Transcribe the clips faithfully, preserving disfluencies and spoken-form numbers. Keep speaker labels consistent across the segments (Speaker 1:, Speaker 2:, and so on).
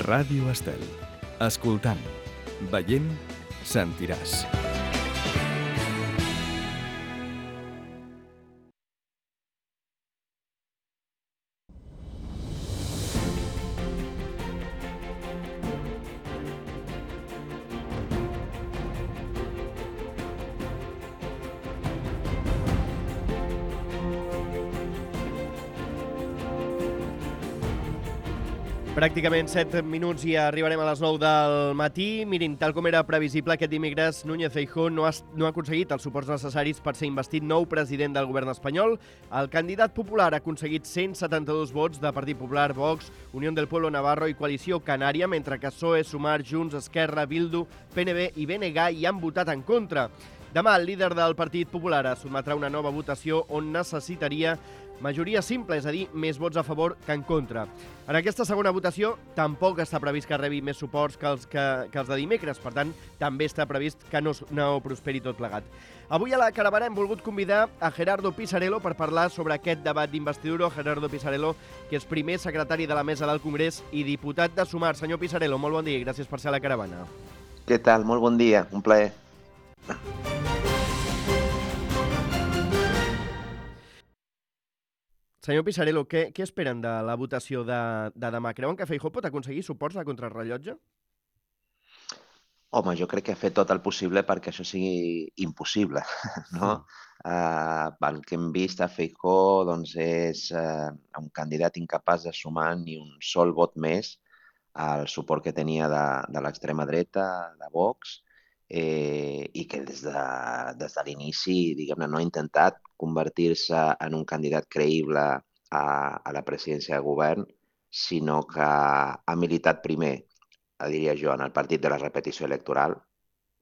Speaker 1: Ràdio Estel. Escoltant, veient, sentiràs.
Speaker 2: Pràcticament set minuts i arribarem a les nou del matí. Mirin, tal com era previsible, aquest dimecres Núñez Feijóo no ha, no ha aconseguit els suports necessaris per ser investit nou president del govern espanyol. El candidat popular ha aconseguit cent setanta-dos vots de Partit Popular, Vox, Unió del Pueblo Navarro i Coalició Canària, mentre que P S O E, Sumar, Junts, Esquerra, Bildu, P N B i B N G hi han votat en contra. Demà el líder del Partit Popular es sotmetrà una nova votació on necessitaria majoria simple, és a dir, més vots a favor que en contra. En aquesta segona votació tampoc està previst que rebi més suports que els, que, que els de dimecres, per tant, també està previst que no, no prosperi tot plegat. Avui a la caravana hem volgut convidar a Gerardo Pisarello per parlar sobre aquest debat d'investidura. Gerardo Pisarello, que és primer secretari de la Mesa del Congrés i diputat de Sumar. Senyor Pisarello, molt bon dia i gràcies per ser a la caravana.
Speaker 3: Què tal? Molt bon dia, un plaer.
Speaker 2: Senyor Pisarello, què, què esperen de la votació de, de demà? Creuen que Feijóo pot aconseguir suports a contrarrellotge?
Speaker 3: Home, jo crec que ha fet tot el possible perquè això sigui impossible, no? Mm. Uh, el que hem vist a Feijóo doncs, és uh, un candidat incapaç de sumar ni un sol vot més al suport que tenia de, de l'extrema dreta, de Vox, eh, i que des de, des de l'inici, diguem-ne, no ha intentat convertir-se en un candidat creïble a, a la presidència de govern, sinó que ha militat primer, diria jo, en el partit de la repetició electoral.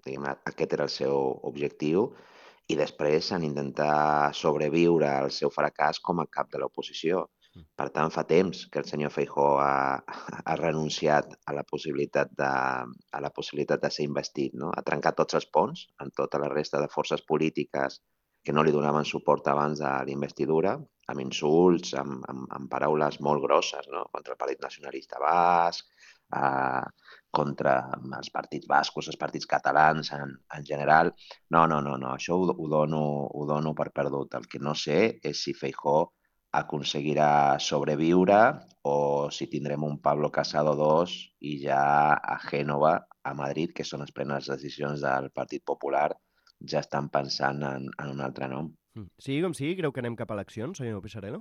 Speaker 3: Diguem-ne, aquest era el seu objectiu, i després en intentar sobreviure al seu fracàs com a cap de l'oposició. Per tant, fa temps que el senyor Feijóo ha, ha renunciat a la possibilitat de, a la possibilitat de ser investit, no? Ha trencat tots els ponts amb tota la resta de forces polítiques que no li donaven suport abans de l'investidura, amb insults, amb, amb, amb paraules molt grosses, no? Contra el Partit Nacionalista Basc, eh, contra els partits bascos, els partits catalans en, en general. No, no, no, no. Això ho, ho, dono, ho dono per perdut. El que no sé és si Feijóo aconseguirà sobreviure o si tindrem un Pablo Casado dos i ja a Gènova, a Madrid, que són les plenes decisions del Partit Popular, ja estan pensant en, en un altre nom.
Speaker 2: Sigui com sigui, creu que anem cap a eleccions, senyor Pisarello?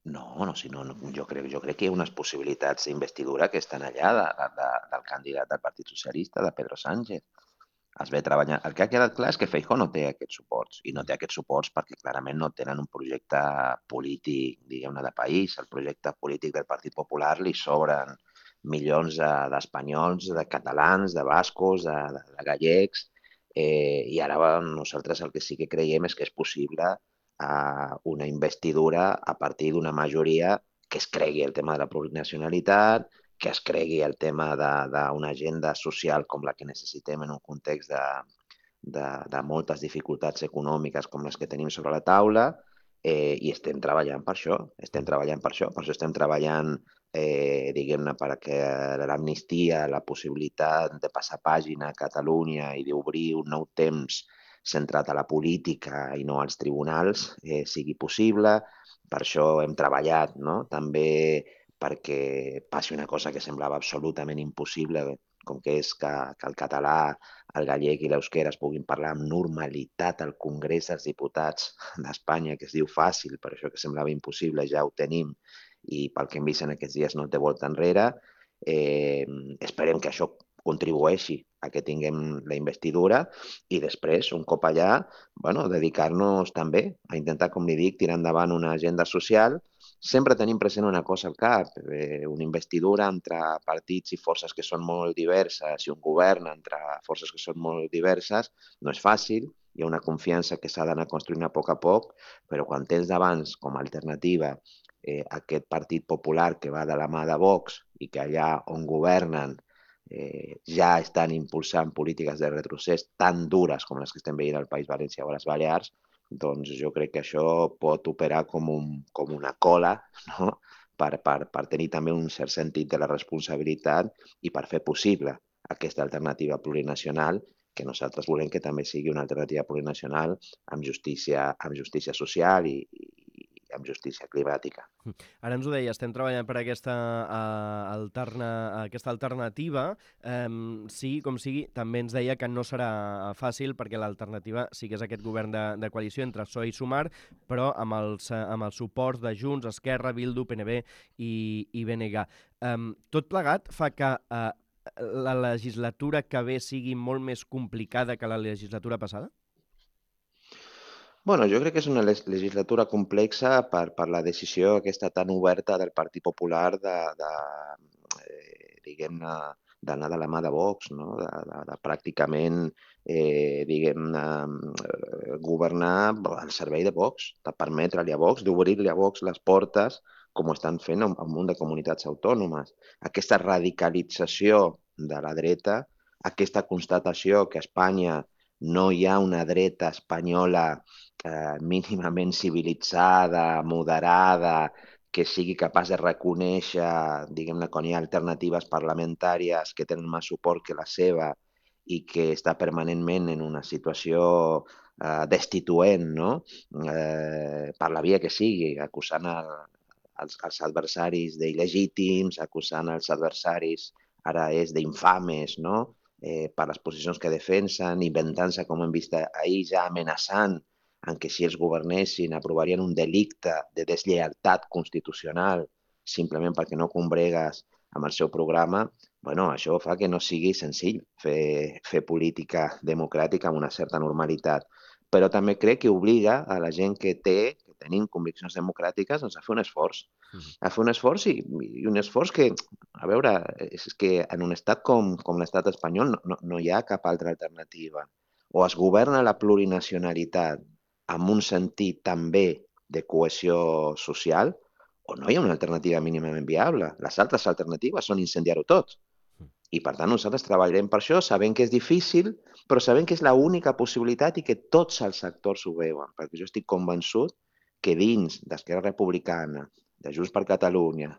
Speaker 3: No, no, si no, no jo, crec, jo crec que hi ha unes possibilitats d'investidura que estan allà de, de, del candidat del Partit Socialista, de Pedro Sánchez. Es ve treballant. El que ha quedat clar és que Feijóo no té aquests suports, i no té aquests suports perquè clarament no tenen un projecte polític, diguem-ne, de país. El projecte polític del Partit Popular li sobren milions d'espanyols, de catalans, de bascos, de, de, de gallecs, eh, i ara nosaltres el que sí que creiem és que és possible eh, una investidura a partir d'una majoria que es cregui el tema de la plurinacionalitat, que es cregui el tema d'una agenda social com la que necessitem en un context de, de, de moltes dificultats econòmiques com les que tenim sobre la taula, eh, i estem treballant per això, estem treballant per això, per això estem treballant, eh, diguem-ne, perquè l'amnistia, la possibilitat de passar pàgina a Catalunya i d'obrir un nou temps centrat a la política i no als tribunals, eh, sigui possible. Per això hem treballat, no?, també perquè passi una cosa que semblava absolutament impossible, com que és que, que el català, el gallec i l'euskera es puguin parlar amb normalitat al Congrés dels Diputats d'Espanya, que es diu fàcil, per això que semblava impossible, ja ho tenim, i pel que hem vist en aquests dies no té volta enrere. Eh, esperem que això contribueixi a que tinguem la investidura i després, un cop allà, bueno, dedicar-nos també a intentar, com li dic, tirar endavant una agenda social. Sempre tenim present una cosa al cap, eh, una investidura entre partits i forces que són molt diverses i un govern entre forces que són molt diverses no és fàcil, hi ha una confiança que s'ha d'anar construint a poc a poc, però quan tens d'abans com a alternativa eh, aquest Partit Popular que va de la mà de Vox i que allà on governen eh, ja estan impulsant polítiques de retrocés tan dures com les que estem veient al País Valencià o a les Balears, doncs jo crec que això pot operar com, un, com una cola, no?, per, per, per tenir també un cert sentit de la responsabilitat i per fer possible aquesta alternativa plurinacional, que nosaltres volem que també sigui una alternativa plurinacional amb justícia, amb justícia social i, i amb justícia climàtica.
Speaker 2: Ara ens ho deia, estem treballant per aquesta, uh, alterna, aquesta alternativa. Um, sigui com sigui, també ens deia que no serà fàcil perquè l'alternativa sí que és aquest govern de, de coalició entre P S O E i Sumar, però amb els, amb els suports de Junts, Esquerra, Bildu, P N B i, i B N G. Um, tot plegat fa que uh, la legislatura que ve sigui molt més complicada que la legislatura passada?
Speaker 3: Bueno, jo crec que és una legislatura complexa per, per la decisió aquesta tan oberta del Partit Popular de, de eh, diguem-ne, d'anar de la mà de Vox, no? de, de, de pràcticament eh, diguem-ne, governar al servei de Vox, de permetre-li a Vox, d'obrir-li a Vox les portes, com ho estan fent en un munt de comunitats autònomes. Aquesta radicalització de la dreta, aquesta constatació que a Espanya no hi ha una dreta espanyola eh, mínimament civilitzada, moderada, que sigui capaç de reconèixer, diguem-ne, quan hi ha alternatives parlamentàries que tenen més suport que la seva i que està permanentment en una situació eh, destituent, no? Eh, per la via que sigui, acusant el, els, els adversaris d'il·legítims, acusant els adversaris, ara és d'infames, no? Eh, per les posicions que defensen, inventant-se, com hem vist ahir, ja amenaçant en que si els governessin aprovarien un delicte de deslleialtat constitucional simplement perquè no combregues amb el seu programa, bueno, això fa que no sigui senzill fer, fer política democràtica amb una certa normalitat. Però també crec que obliga a la gent que té, que tenim conviccions democràtiques, doncs a fer un esforç. A fer un esforç i, i un esforç que, a veure, és que en un estat com, com l'estat espanyol no, no, no hi ha cap altra alternativa. O es governa la plurinacionalitat amb un sentit també de cohesió social, o no hi ha una alternativa mínimament viable. Les altres alternatives són incendiar-ho tot. I, per tant, nosaltres treballarem per això, sabent que és difícil, però sabent que és l'única possibilitat i que tots els sectors ho veuen, perquè jo estic convençut que dins d'Esquerra Republicana, de Junts per Catalunya,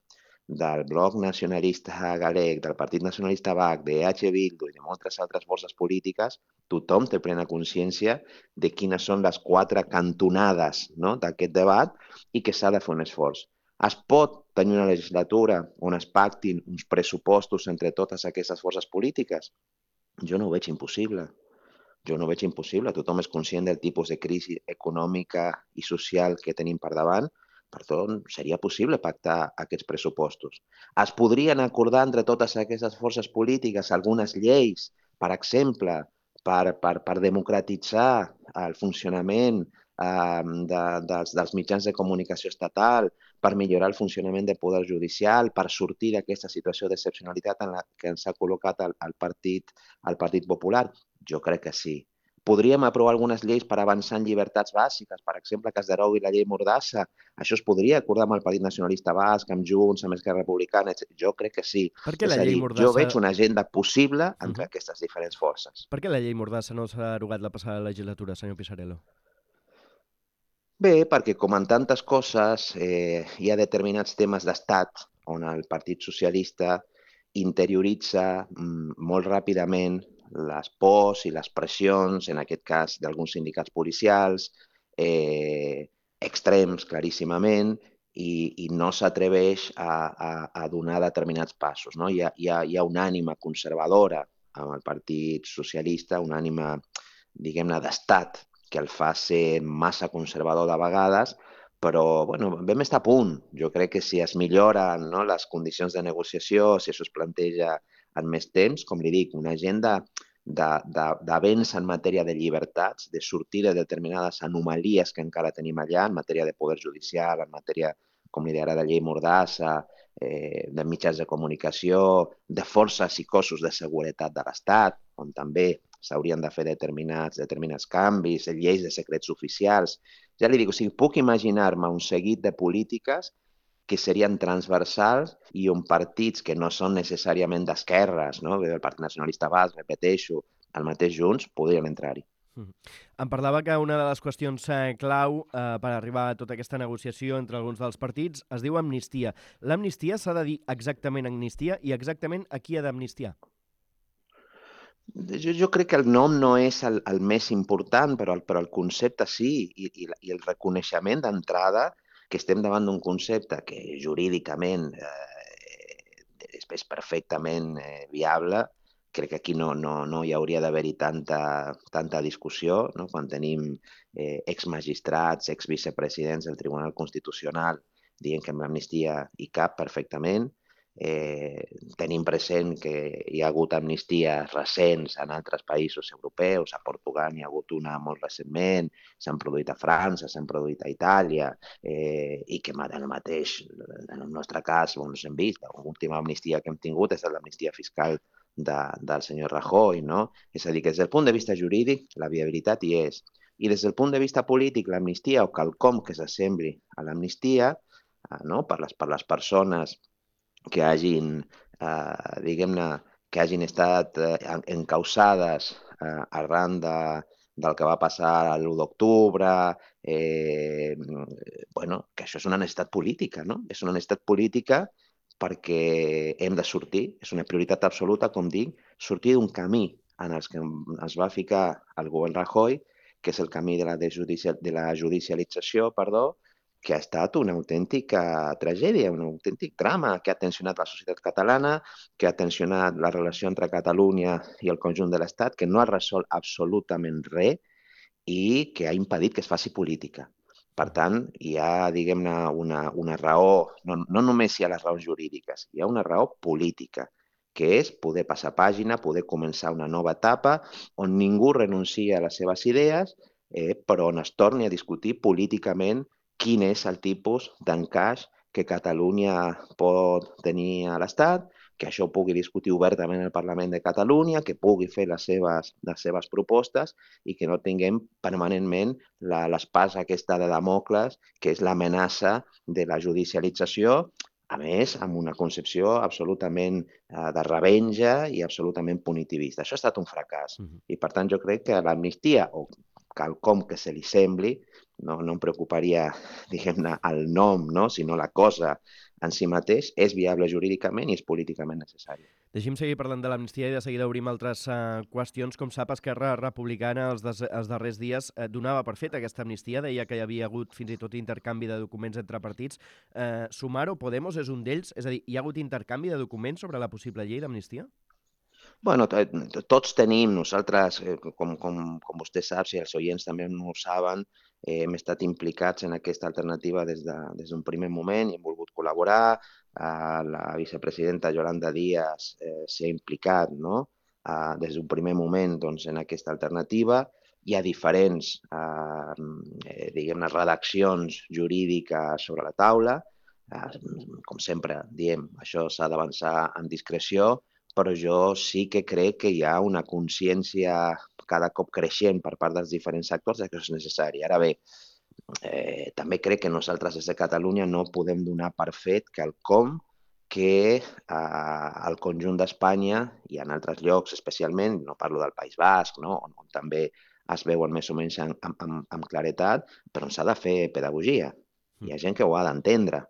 Speaker 3: del Bloc Nacionalista Galec, del Partit Nacionalista Basc, de H. Bildu i de moltes altres forces polítiques, tothom té plena consciència de quines són les quatre cantonades, no?, d'aquest debat i que s'ha de fer un esforç. Es pot tenir una legislatura on es pactin uns pressupostos entre totes aquestes forces polítiques? Jo no ho veig impossible. Jo no ho veig impossible. Tothom és conscient del tipus de crisi econòmica i social que tenim per davant. Per tant, seria possible pactar aquests pressupostos. Es podrien acordar entre totes aquestes forces polítiques algunes lleis, per exemple, per, per, per democratitzar el funcionament eh, de, dels, dels mitjans de comunicació estatal, per millorar el funcionament del poder judicial, per sortir d'aquesta situació d'excepcionalitat en la que ens ha col·locat el, el, partit, el Partit Popular? Jo crec que sí. Podríem aprovar algunes lleis per avançar en llibertats bàsiques, per exemple, que es derogui la llei Mordassa. Això es podria acordar amb el Partit Nacionalista Basc, amb Junts, amb Esquerra Republicana, etcètera. Jo crec que sí.
Speaker 2: Per què
Speaker 3: És
Speaker 2: la
Speaker 3: a
Speaker 2: llei
Speaker 3: dir,
Speaker 2: Mordassa...
Speaker 3: jo veig una agenda possible entre
Speaker 2: Mhm.
Speaker 3: aquestes diferents forces.
Speaker 2: Per què la llei Mordassa no s'ha derogat la passada legislatura, senyor Pisarello?
Speaker 3: Bé, perquè com en tantes coses eh, hi ha determinats temes d'estat on el Partit Socialista interioritza mm, molt ràpidament les pors i les pressions, en aquest cas d'alguns sindicats policials, eh, extrems claríssimament, i, i no s'atreveix a, a, a donar determinats passos. No? Hi ha, hi ha, hi ha una ànima conservadora amb el Partit Socialista, una ànima, diguem-ne, d'estat, que el fa ser massa conservador de vegades, però bueno, vam estar a punt. Jo crec que si es milloren, no, les condicions de negociació, si això es planteja en més temps, com li dic, una agenda d'avenç en matèria de llibertats, de sortir de determinades anomalies que encara tenim allà, en matèria de poder judicial, en matèria, com li deia ara, de llei Mordassa, eh, de mitjans de comunicació, de forces i cossos de seguretat de l'Estat, on també s'haurien de fer determinats, determinats canvis, lleis de secrets oficials. Ja li dic, o sigui, puc imaginar-me un seguit de polítiques que serien transversals i on partits que no són necessàriament d'esquerres, no? El Partit Nacionalista Basc, repeteixo, el mateix Junts, podrien entrar-hi.
Speaker 2: Mm. Em parlava que una de les qüestions eh, clau eh, per arribar a tota aquesta negociació entre alguns dels partits es diu amnistia. L'amnistia s'ha de dir exactament amnistia i exactament a qui ha d'amnistiar?
Speaker 3: Jo, jo crec que el nom no és el, el més important, però el, però el concepte sí, i, i, i el reconeixement d'entrada que estem davant d'un concepte que jurídicament eh, és, és perfectament eh, viable. Crec que aquí no, no, no hi hauria d'haver-hi tanta, tanta discussió, no? Quan tenim eh, exmagistrats, exvicepresidents del Tribunal Constitucional dient que amb l'amnistia hi cap perfectament. Eh, tenim present que hi ha hagut amnisties recents en altres països europeus, a Portugal n'hi ha hagut una molt recentment, s'han produït a França, s'han produït a Itàlia, eh, i que ara mateix, en el nostre cas, doncs hem vist, l'última amnistia que hem tingut és l'amnistia fiscal de, del senyor Rajoy, no? És a dir, que des del punt de vista jurídic la viabilitat hi és. I des del punt de vista polític, l'amnistia o quelcom que s'assembli a l'amnistia, eh, no? per, les, per les persones que hagin, eh, diguem-ne, que hagin estat eh, encausades eh, arran de, del que va passar l'u d'octubre, eh, bueno, que això és una necessitat política, no? És una necessitat política perquè hem de sortir, és una prioritat absoluta, com dic, sortir d'un camí en el que es va ficar el govern Rajoy, que és el camí de la, de la judicialització, perdó, que ha estat una autèntica tragèdia, un autèntic drama que ha tensionat la societat catalana, que ha tensionat la relació entre Catalunya i el conjunt de l'Estat, que no ha resolt absolutament res i que ha impedit que es faci política. Per tant, hi ha, diguem-ne, una, una raó, no, no només hi ha les raons jurídiques, hi ha una raó política, que és poder passar pàgina, poder començar una nova etapa on ningú renuncia a les seves idees, eh, però on es torni a discutir políticament quin és el tipus d'encaix que Catalunya pot tenir a l'Estat, que això ho pugui discutir obertament el Parlament de Catalunya, que pugui fer les seves, les seves propostes i que no tinguem permanentment l'espasa aquesta de Damocles, que és l'amenaça de la judicialització, a més, amb una concepció absolutament eh, de revenja i absolutament punitivista. Això ha estat un fracàs. Uh -huh. I, per tant, jo crec que l'amnistia, o quelcom que se li sembli, no, no em preocuparia, diguem-ne, el nom, no? Sinó la cosa en si mateix, és viable jurídicament i és políticament necessari.
Speaker 2: Deixi'm seguir parlant de l'amnistia i de seguida obrim altres uh, qüestions. Com sap, Esquerra Republicana els, des, els darrers dies uh, donava per fet aquesta amnistia, deia que hi havia hagut fins i tot intercanvi de documents entre partits. Uh, Sumar o Podemos és un d'ells? És a dir, hi ha hagut intercanvi de documents sobre la possible llei d'amnistia?
Speaker 3: Bueno, tots tenim, nosaltres, com, com, com vostè sap, si els oients també no ho saben, eh, hem estat implicats en aquesta alternativa des d'un de, des primer moment i hem volgut col·laborar. Eh, la vicepresidenta Yolanda Díaz eh, s'ha implicat, no? eh, des d'un primer moment doncs, en aquesta alternativa. Hi ha diferents eh, diguem-ne, redaccions jurídiques sobre la taula. Eh, com sempre diem, això s'ha d'avançar amb discreció, però jo sí que crec que hi ha una consciència cada cop creixent per part dels diferents actors que això és necessari. Ara bé, eh, també crec que nosaltres des de Catalunya no podem donar per fet quelcom que eh, al conjunt d'Espanya i en altres llocs especialment, no parlo del País Basc, no? on, on també es veuen més o menys amb, amb, amb claretat, però on s'ha de fer pedagogia. Hi ha gent que ho ha d'entendre,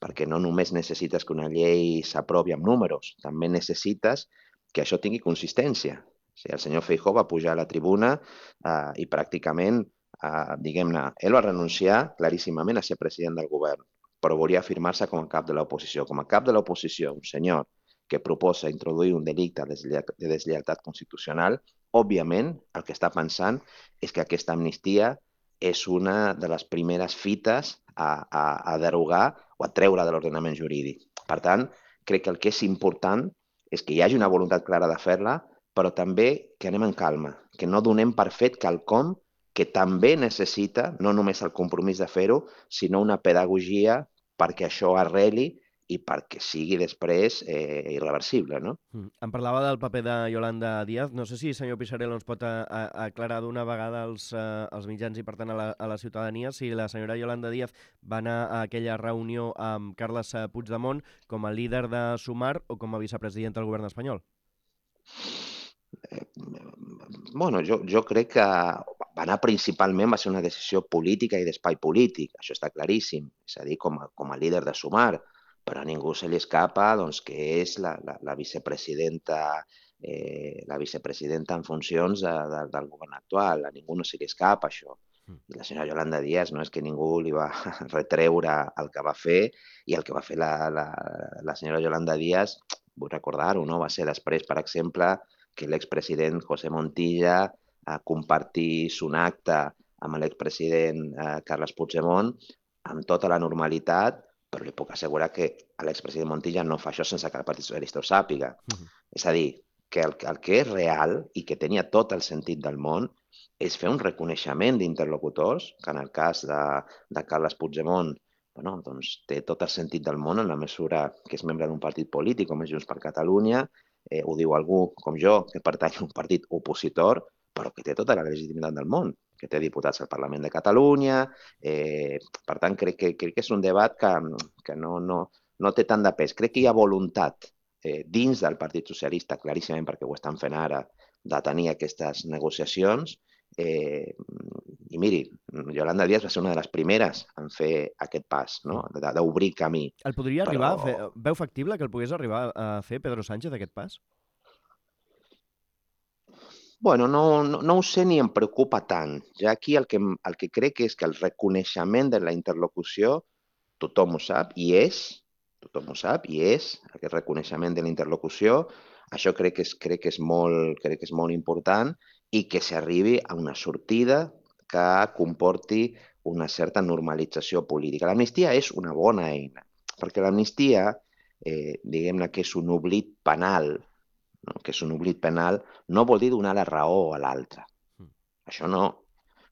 Speaker 3: perquè no només necessites que una llei s'aprovi amb números, també necessites que això tingui consistència. O sigui, el senyor Feijóo va pujar a la tribuna eh, i pràcticament, eh, diguem-ne, ell va renunciar claríssimament a ser president del govern, però volia afirmar-se com a cap de l'oposició. Com a cap de l'oposició, un senyor que proposa introduir un delicte de deslleialtat constitucional, òbviament el que està pensant és que aquesta amnistia és una de les primeres fites a, a, a derogar o a treure de l'ordenament jurídic. Per tant, crec que el que és important és que hi hagi una voluntat clara de fer-la, però també que anem en calma, que no donem per fet quelcom que també necessita no només el compromís de fer-ho, sinó una pedagogia perquè això arreli i perquè sigui després eh, irreversible, no?
Speaker 2: Mm. Em parlava del paper de Yolanda Díaz. No sé si el senyor Pixarello ens pot a, a, aclarar d'una vegada als, uh, als mitjans i, per tant, a la, a la ciutadania si la senyora Yolanda Díaz va anar a aquella reunió amb Carles Puigdemont com a líder de Sumar o com a vicepresident del govern espanyol.
Speaker 3: Eh, bueno, jo, jo crec que va anar principalment, va ser una decisió política i d'espai polític, això està claríssim, és a dir, com a, com a líder de Sumar, però a ningú se li escapa doncs, que és la, la, la vicepresidenta eh, la vicepresidenta en funcions de, de, del govern actual, a ningú no se li escapa això. I la senyora Yolanda Díaz no és que ningú li va retreure el que va fer, i el que va fer la, la, la senyora Yolanda Díaz, vull recordar-ho, no? Va ser després, per exemple, que l'expresident José Montilla eh, compartís un acte amb l'expresident eh, Carles Puigdemont amb tota la normalitat, però li puc assegurar que l'expresident Montilla no fa això sense que el Partit Socialista ho sàpiga. Uh-huh. És a dir, que el, el que és real i que tenia tot el sentit del món és fer un reconeixement d'interlocutors, que en el cas de, de Carles Puigdemont bueno, doncs té tot el sentit del món en la mesura que és membre d'un partit polític com és Junts per Catalunya, eh, ho diu algú com jo, que pertany a un partit opositor, però que té tota la legitimitat del món, que té diputats al Parlament de Catalunya. Eh, per tant, crec que, crec que és un debat que, que no, no, no té tant de pes. Crec que hi ha voluntat eh, dins del Partit Socialista, claríssimament perquè ho estan fent ara, de tenir aquestes negociacions. Eh, I miri, Yolanda Díaz va ser una de les primeres en fer aquest pas, no? D'obrir camí.
Speaker 2: El podria arribar Però... a fer... Veu factible que el pogués arribar a fer Pedro Sánchez aquest pas?
Speaker 3: Bueno, no, no, no ho sé ni em preocupa tant. Ja aquí el que, el que crec és que el reconeixement de la interlocució tothom ho sap i és, tothom ho sap i és, aquest reconeixement de la interlocució, això crec que és, crec que és, molt, crec que és molt important i que s'arribi a una sortida que comporti una certa normalització política. L'amnistia és una bona eina, perquè l'amnistia, eh, diguem-ne que és un oblit penal, no? que és un oblit penal, no vol dir donar la raó a l'altre. Mm. Això no.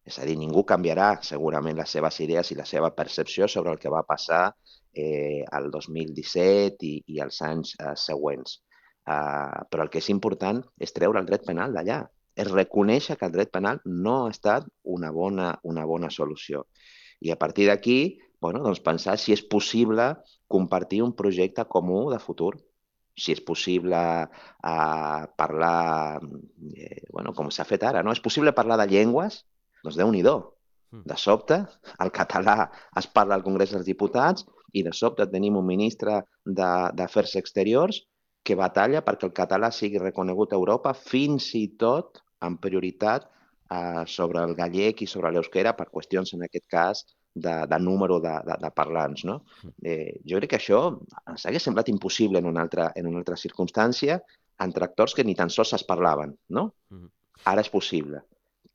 Speaker 3: És a dir, ningú canviarà segurament les seves idees i la seva percepció sobre el que va passar eh, el dos mil disset i, i els anys eh, següents. Uh, però el que és important és treure el dret penal d'allà. És reconèixer que el dret penal no ha estat una bona, una bona solució. I a partir d'aquí, bueno, doncs pensar si és possible compartir un projecte comú de futur. Si és possible uh, parlar, eh, bueno, com s'ha fet ara, no? És possible parlar de llengües? Doncs Déu-n'hi-do. De sobte, el català es parla al Congrés dels Diputats i de sobte tenim un ministre d'Afers Exteriors que batalla perquè el català sigui reconegut a Europa, fins i tot en prioritat eh, sobre el gallec i sobre l'euskera per qüestions, en aquest cas, de, de número de, de, de parlants. No? Eh, jo crec que això ens hagués semblat impossible en una altra, en una altra circumstància entre actors que ni tan sols es parlaven. No? Ara és possible.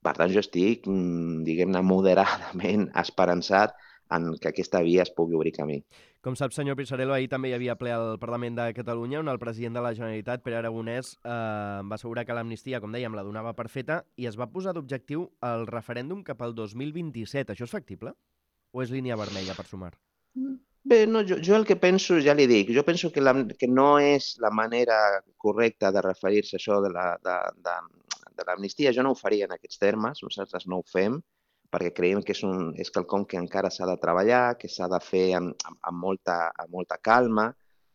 Speaker 3: Per tant, jo estic, diguem-ne, moderadament esperançat en que aquesta via es pugui obrir camí.
Speaker 2: Com sap, senyor Pisarello, ahir també hi havia ple al Parlament de Catalunya on el president de la Generalitat, Pere Aragonès, eh, va assegurar que l'amnistia, com dèiem, la donava per feta i es va posar d'objectiu el referèndum cap al dos mil vint-i-set. Això és factible? O és línia vermella per Sumar?
Speaker 3: Bé, no, jo, jo el que penso, ja li dic, jo penso que, la, que no és la manera correcta de referir-se a això de la, de, de, de l'amnistia. Jo no ho faria en aquests termes, nosaltres no ho fem, perquè creiem que és, un, és quelcom que encara s'ha de treballar, que s'ha de fer amb, amb, amb, molta, amb molta calma.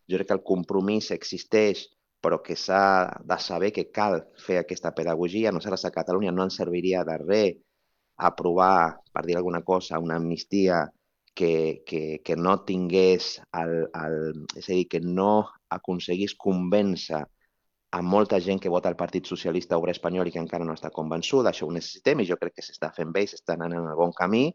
Speaker 3: Jo crec que el compromís existeix, però que s'ha de saber que cal fer aquesta pedagogia. Nosaltres a Catalunya no ens serviria de res aprovar, per dir alguna cosa, una amnistia que, que, que no tingués, el, el, és a dir, que no aconseguís convèncer a molta gent que vota al Partit Socialista Obrer Espanyol i que encara no està convençuda. Això ho necessitem i jo crec que s'està fent bé i s'està anant en el bon camí.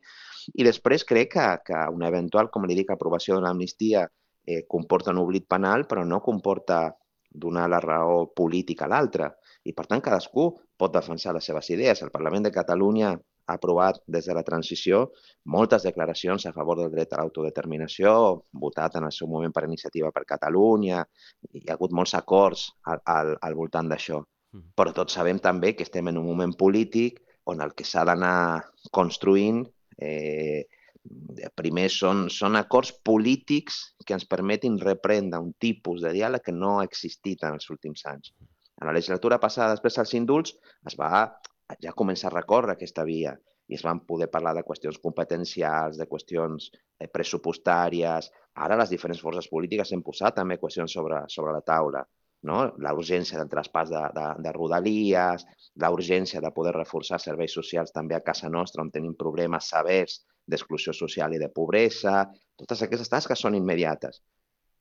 Speaker 3: I després crec que, que una eventual, com li dic, aprovació de l'amnistia eh, comporta un oblit penal, però no comporta donar la raó política a l'altre. I, per tant, cadascú pot defensar les seves idees. El Parlament de Catalunya ha aprovat des de la transició moltes declaracions a favor del dret a l'autodeterminació, votat en el seu moment per Iniciativa per Catalunya, hi ha hagut molts acords al, al, al voltant d'això. Però tots sabem també que estem en un moment polític on el que s'ha d'anar construint eh, primer són, són acords polítics que ens permetin reprendre un tipus de diàleg que no ha existit en els últims anys. En la legislatura passada, després dels indults, es va ja començar a recórrer aquesta via i es van poder parlar de qüestions competencials, de qüestions pressupostàries. Ara les diferents forces polítiques han posat també qüestions sobre, sobre la taula. no? La urgència del traspàs de, de, de rodalies, la urgència de poder reforçar serveis socials també a casa nostra, on tenim problemes severs d'exclusió social i de pobresa. Totes aquestes tasques són immediates.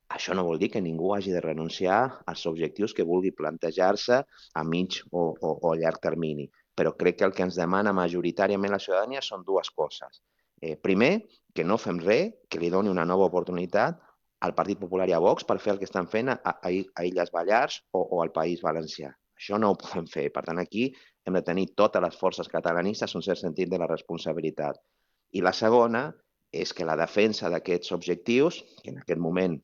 Speaker 3: Això no vol dir que ningú hagi de renunciar als objectius que vulgui plantejar-se a mig o, o, o a llarg termini. Però crec que el que ens demana majoritàriament la ciutadania són dues coses. Eh, primer, que no fem res, que li doni una nova oportunitat al Partit Popular i a Vox per fer el que estan fent a, a, a Illes Balears o, o al País Valencià. Això no ho podem fer. Per tant, aquí hem de tenir totes les forces catalanistes un cert sentit de la responsabilitat. I la segona és que la defensa d'aquests objectius, que en aquest moment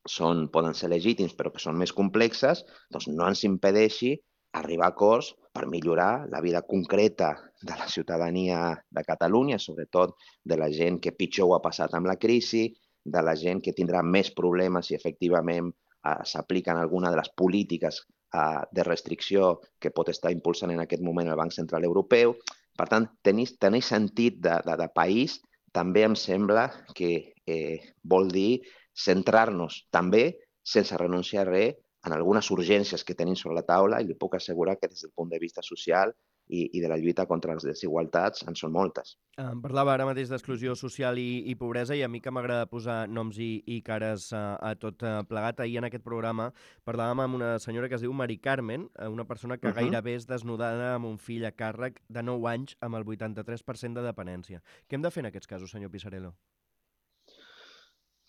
Speaker 3: són, poden ser legítims però que són més complexes, doncs no ens impedeixi arribar a acords per millorar la vida concreta de la ciutadania de Catalunya, sobretot de la gent que pitjor ho ha passat amb la crisi, de la gent que tindrà més problemes si efectivament eh, s'apliquen alguna de les polítiques eh, de restricció que pot estar impulsant en aquest moment el Banc Central Europeu. Per tant, tenir, tenir sentit de, de, de país també em sembla que eh, vol dir centrar-nos també, sense renunciar a res, en algunes urgències que tenim sobre la taula, i li puc assegurar que des del punt de vista social i, i de la lluita contra les desigualtats en són moltes.
Speaker 2: Em parlava ara mateix d'exclusió social i, i pobresa, i a mi que m'agrada posar noms i, i cares a, a tot plegat. Ahir en aquest programa parlàvem amb una senyora que es diu Mari Carmen, una persona que uh -huh. gairebé és desnudada amb un fill a càrrec de nou anys amb el vuitanta-tres per cent de dependència. Què hem de fer en aquests casos, senyor Pisarello?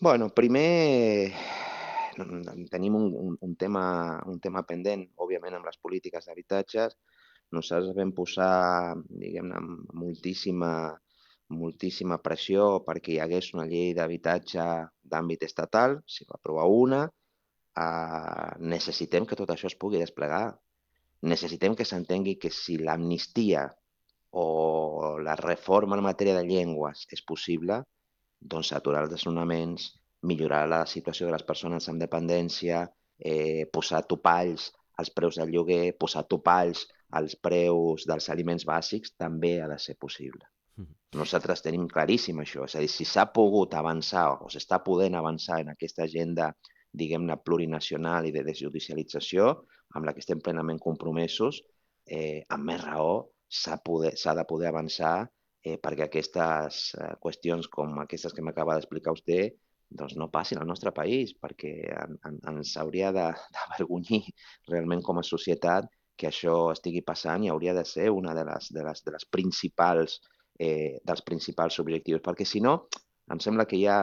Speaker 3: Bueno, primer tenim un, un, un, tema, un tema pendent, òbviament, amb les polítiques d'habitatges. Nosaltres vam posar, diguem-ne, moltíssima, moltíssima pressió perquè hi hagués una llei d'habitatge d'àmbit estatal, s'hi va aprovar una. Uh, necessitem que tot això es pugui desplegar. Necessitem que s'entengui que si l'amnistia o la reforma en matèria de llengües és possible, doncs aturar els desnonaments, millorar la situació de les persones amb dependència, eh, posar topalls als preus del lloguer, posar topalls als preus dels aliments bàsics, també ha de ser possible. Mm-hmm. Nosaltres tenim claríssim això. És a dir, si s'ha pogut avançar o s'està podent avançar en aquesta agenda, diguem-ne, plurinacional i de desjudicialització, amb la que estem plenament compromesos, eh, amb més raó s'ha de poder avançar Eh, perquè aquestes eh, qüestions com aquestes que m'acaba d'explicar vostè doncs no passin al nostre país, perquè en, en, ens hauria d'avergonyir realment com a societat que això estigui passant i hauria de ser una de les, de les, de les principals, eh, dels principals objectius, perquè si no, em sembla que hi ha,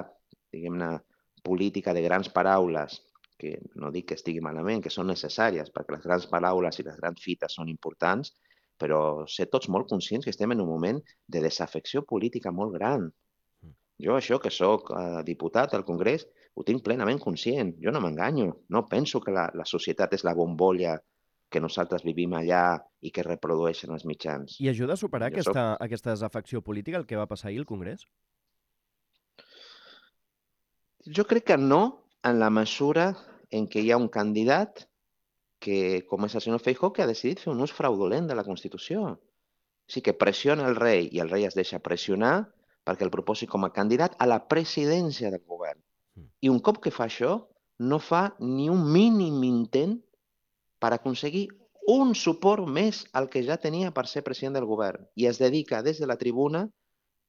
Speaker 3: diguem-ne, política de grans paraules, que no dic que estigui malament, que són necessàries, perquè les grans paraules i les grans fites són importants, però ser tots molt conscients que estem en un moment de desafecció política molt gran. Jo això que sóc eh, diputat al Congrés ho tinc plenament conscient. Jo no m'enganyo. No penso que la, la societat és la bombolla que nosaltres vivim allà i que reprodueixen els mitjans.
Speaker 2: I ajuda a superar aquesta, soc... aquesta desafecció política, el que va passar ahir al Congrés?
Speaker 3: Jo crec que no, en la mesura en què hi ha un candidat que, com és el senyor Feijóo, que ha decidit fer un ús fraudulent de la Constitució. O sigui, que pressiona el rei i el rei es deixa pressionar perquè el proposi com a candidat a la presidència del govern. I un cop que fa això, no fa ni un mínim intent per aconseguir un suport més al que ja tenia per ser president del govern. I es dedica des de la tribuna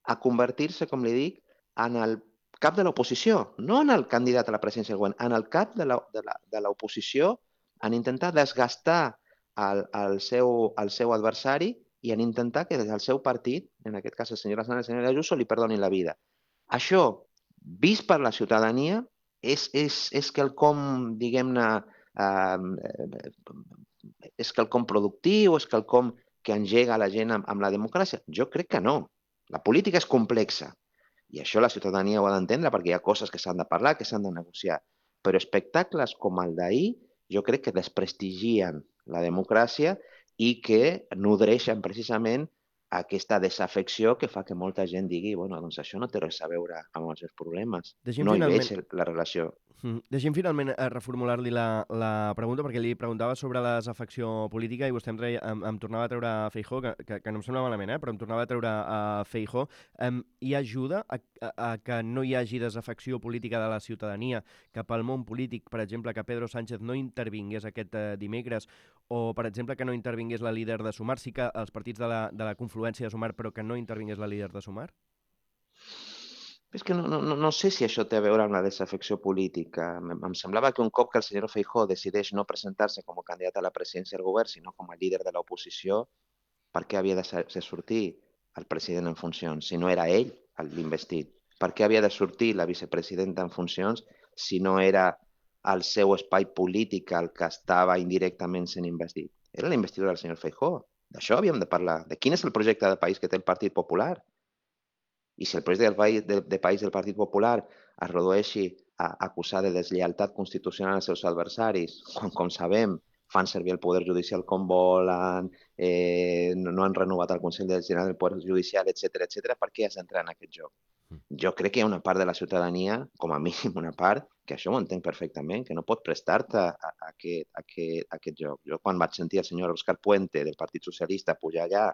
Speaker 3: a convertir-se, com li dic, en el cap de l'oposició, no en el candidat a la presidència del govern, en el cap de l'oposició, en intentar desgastar el, el, seu, el seu adversari i en intentar que des del seu partit, en aquest cas el senyor Aznar i el senyor Ayuso, li perdonin la vida. Això, vist per la ciutadania, és, és, és quelcom, diguem-ne, eh, és quelcom productiu, és quelcom que engega la gent amb, amb la democràcia? Jo crec que no. La política és complexa i això la ciutadania ho ha d'entendre perquè hi ha coses que s'han de parlar, que s'han de negociar. Però espectacles com el d'ahir jo crec que desprestigien la democràcia i que nodreixen precisament aquesta desafecció que fa que molta gent digui bueno, doncs això no té res a veure amb els seus problemes.
Speaker 2: Deixi'm
Speaker 3: no
Speaker 2: finalment...
Speaker 3: hi veig la relació.
Speaker 2: Mm. Deixem finalment reformular-li la, la pregunta, perquè li preguntava sobre la desafecció política i vostè em, treia, em, em tornava a treure a Feijóo, que, que, que no em sembla malament, eh? però em tornava a treure a Feijóo. Um, hi ajuda a, a, a que no hi hagi desafecció política de la ciutadania cap al món polític, per exemple, que Pedro Sánchez no intervingués aquest uh, dimecres, o, per exemple, que no intervingués la líder de Sumar, sí que els partits de la, de la confluència de Sumar, però que no intervingués la líder de Sumar?
Speaker 3: És que no, no, no sé si això té a veure amb la desafecció política. Em, em semblava que un cop que el senyor Feijóo decideix no presentar-se com a candidat a la presidència del govern, sinó com a líder de l'oposició, per què havia de ser sortir el president en funcions si no era ell l'investit? Per què havia de sortir la vicepresidenta en funcions si no era el seu espai polític el que estava indirectament sent investit? Era la investidura del senyor Feijóo. D'això havíem de parlar. De quin és el projecte de país que té el Partit Popular? I si el projecte del país, de, de país del Partit Popular es redueixi a acusar de deslleialtat constitucional als seus adversaris, quan, com sabem, fan servir el poder judicial com volen, eh, no, no han renovat el Consell General del Poder Judicial, etcètera, etcètera, per què has d'entrar en aquest joc? Jo crec que hi ha una part de la ciutadania, com a mínim una part, que això ho entenc perfectament, que no pot prestar-te a, a, a, aquest, a, aquest, a aquest joc. Jo quan vaig sentir el senyor Òscar Puente del Partit Socialista pujar allà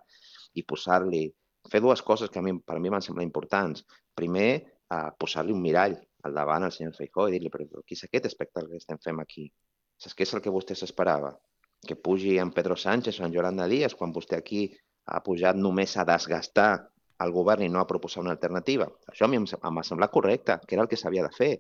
Speaker 3: i posar-li fer dues coses que a mi, per a mi van semblar importants. Primer, eh, posar-li un mirall al davant al senyor Feijóo i dir-li, però què és aquest espectacle que estem fent aquí? Saps què és el que vostè s'esperava? Que pugi en Pedro Sánchez o en Yolanda Díaz quan vostè aquí ha pujat només a desgastar el govern i no a proposar una alternativa? Això a mi em, em va semblar correcte, que era el que s'havia de fer.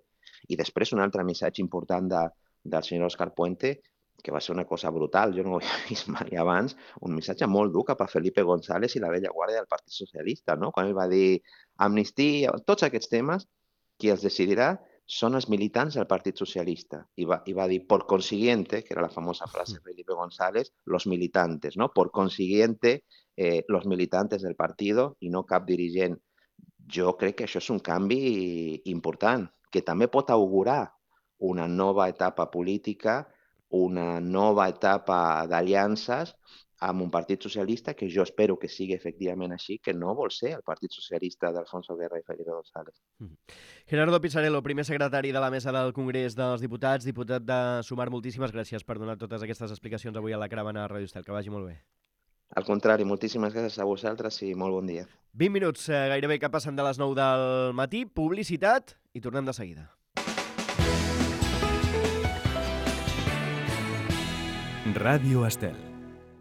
Speaker 3: I després un altre missatge important de, del senyor Òscar Puente, que va ser una cosa brutal, jo no ho havia vist mai abans, un missatge molt dur cap a Felipe González i la vella guàrdia del Partit Socialista, no? Quan ell va dir amnistia, tots aquests temes, qui els decidirà són els militants del Partit Socialista. I va, i va dir, por consiguiente, que era la famosa frase de Felipe González, los militantes, no? Por consiguiente, eh, los militantes del partido i no cap dirigent. Jo crec que això és un canvi important, que també pot augurar una nova etapa política, una nova etapa d'aliances amb un Partit Socialista que jo espero que sigui efectivament així, que no vol ser el Partit Socialista d'Alfonso Guerra i Felipe González.
Speaker 2: Gerardo Pisarello, primer secretari de la Mesa del Congrés dels Diputats, diputat de Sumar, moltíssimes gràcies per donar totes aquestes explicacions avui a la Caravana de Ràdio Estel. Que vagi molt bé.
Speaker 3: Al contrari, moltíssimes gràcies a vosaltres i molt bon dia.
Speaker 2: vint minuts, eh, gairebé que passen de les nou del matí, publicitat i tornem de seguida.
Speaker 1: Ràdio Estel.